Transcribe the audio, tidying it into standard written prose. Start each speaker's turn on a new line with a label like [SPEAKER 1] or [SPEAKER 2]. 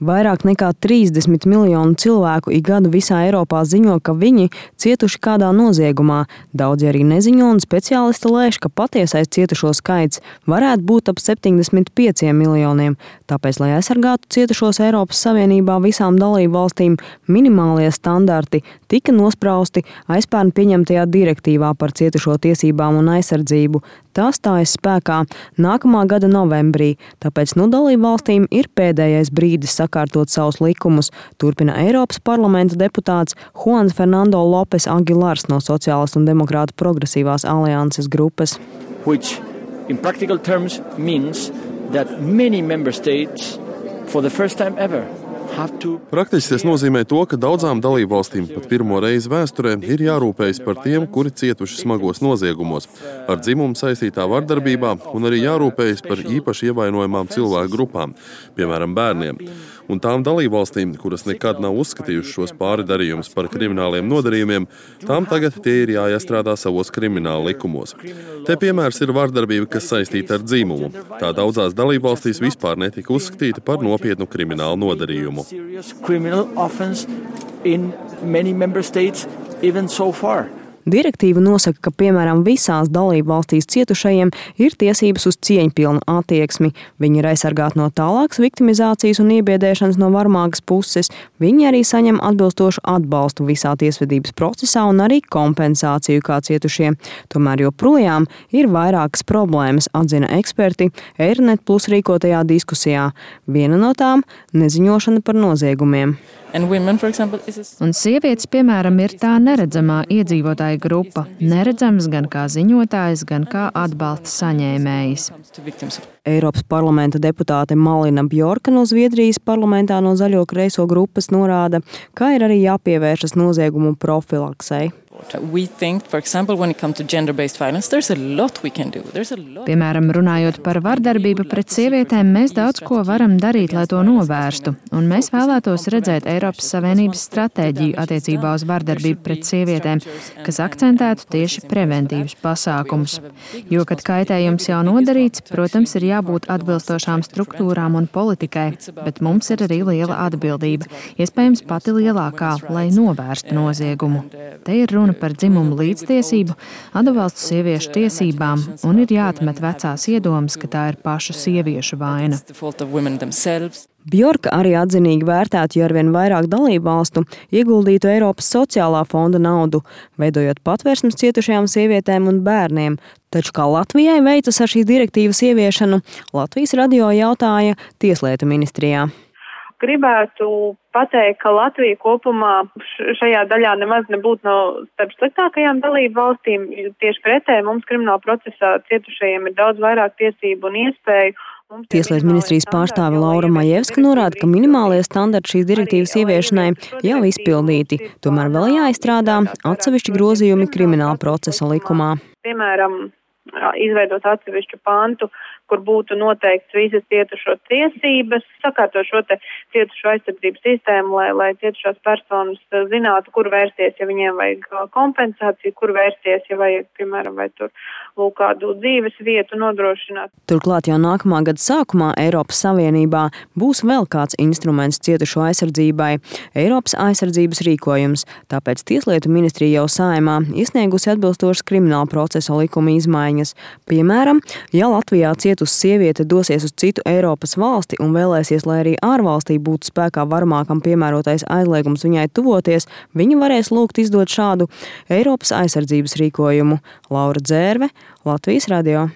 [SPEAKER 1] Vairāk nekā 30 miljonu cilvēku ik gadu visā Eiropā ziņo, ka viņi cietuši kādā noziegumā. Daudzi arī neziņo, un speciālisti lēš, ka patiesais cietušo skaits varētu būt ap 75 miljoniem. Tāpēc, lai aizsargātu cietušos Eiropas Savienībā visām dalību valstīm, minimālie standarti tika nosprausti aizpērn pieņemtajā direktīvā par cietušo tiesībām un aizsardzību. Tā stājas spēkā nākamā gada novembrī, tāpēc dalību valstīm ir pēdējais brīdis sakārtot savus likumus, turpina Eiropas parlamenta deputāts Juans Fernando Lopes Aguilars no Sociālistu un Demokrātu progresīvās alianses grupas.
[SPEAKER 2] Which in practical terms means that many member states for the first time ever
[SPEAKER 3] Praktiski tas nozīmē to, ka daudzām dalībvalstīm pat pirmo reizi vēsturē ir jārūpējas par tiem, kuri cietuši smagos noziegumos, ar dzimumu saistītā vardarbībā, un arī jārūpējas par īpaši ievainojamām cilvēku grupām, piemēram, bērniem. Un tām dalībvalstīm, kuras nekad nav uzskatījušas šos pārdarījumus par krimināliem nodarījumiem, tām tagad tie ir jāiestrādā savos krimināla likumos. Te piemērs ir vardarbība, kas saistīta ar dzimumu. Tā daudzās dalībvalstīs vispār netika uzskatīta par nopietnu kriminālu nodarījumu.
[SPEAKER 1] Direktīva nosaka, ka, piemēram, visās dalību valstīs cietušajiem ir tiesības uz cieņpilnu attieksmi. Viņi ir aizsargāti no tālākas viktimizācijas un iebiedēšanas no varmākas puses. Viņi arī saņem atbilstošu atbalstu visā tiesvedības procesā un arī kompensāciju kā cietušie. Tomēr joprojām ir vairākas problēmas, atzina eksperti Eironet Plus rīkotajā diskusijā. Viena no tām – neziņošana par noziegumiem.
[SPEAKER 4] Un sievietes, piemēram, ir tā neredzamā iedzīvotāja grupa, neredzams gan kā ziņotājs, gan kā atbalsta saņēmējs.
[SPEAKER 1] Eiropas parlamenta deputāte Malina Bjorka no Zviedrijas parlamentā no Zaļo kreiso grupas norāda, ka ir arī jāpievēršas noziegumu profilaksei.
[SPEAKER 4] Piemēram, runājot par vardarbību pret sievietēm, mēs daudz ko varam darīt, lai to novērstu, un mēs vēlētos redzēt Eiropas Savienības stratēģiju attiecībā uz vardarbību pret sievietēm, kas akcentētu tieši preventīvus pasākumus. Jo, kad kaitējums jau nodarīts, protams, ir jābūt atbilstošām struktūrām un politikai, bet mums ir arī liela atbildība, iespējams pati lielākā, lai novērstu noziegumu. Te ir runa par dzimumu līdztiesību, atbalstu sieviešu tiesībām un ir jāatmet vecās iedomas, ka tā ir pašu sieviešu vaina.
[SPEAKER 1] Bjorka arī atzinīgi vērtētu, ja arvien vairāk dalībvalstu ieguldītu Eiropas sociālā fonda naudu, veidojot patvērsmes cietušajām sievietēm un bērniem. Taču kā Latvijai veicas ar šīs direktīvas ieviešanu, Latvijas radio jautāja Tieslietu ministrijā.
[SPEAKER 5] Gribētu pateikt, ka Latvija kopumā šajā daļā nemaz nebūtu no starp sliktākajām dalību valstīm. Tieši pretēji mums krimināla procesā cietušajiem ir daudz vairāk tiesību un iespēju.
[SPEAKER 1] Tieslietu ministrijas pārstāve Laura Majevska norāda, ka minimālie standarti šīs direktīvas ieviešanai jau izpildīti. Tomēr vēl jāizstrādā atsevišķi grozījumi krimināla procesa likumā.
[SPEAKER 5] Piemēram, izveidot atsevišķu pantu, kur būtu noteikts visas cietušo tiesības, sakārtot šo te cietušo aizsardzības sistēmu, lai cietušās personas zinātu, kur vērsties, ja viņiem vajag kompensāciju, kur vērsties, ja vajag, piemēram, vai tur lūk kādu dzīves vietu nodrošināt.
[SPEAKER 1] Turklāt jau nākamā gada sākumā Eiropas Savienībā būs vēl kāds instruments cietušo aizsardzībai – Eiropas aizsardzības rīkojums. Tāpēc Tieslietu ministrija jau Saeimā iesniegusi atbilstošas krimināla procesa likuma izmaiņas. Piemēram, ja Latvijā cietusi sieviete dosies uz citu Eiropas valsti un vēlēsies, lai arī ārvalstī būtu spēkā varmākam piemērotais aizliegums viņai tuvoties, viņa varēs lūgt izdot šādu Eiropas aizsardzības rīkojumu. Laura Dzērve, Latvijas radio.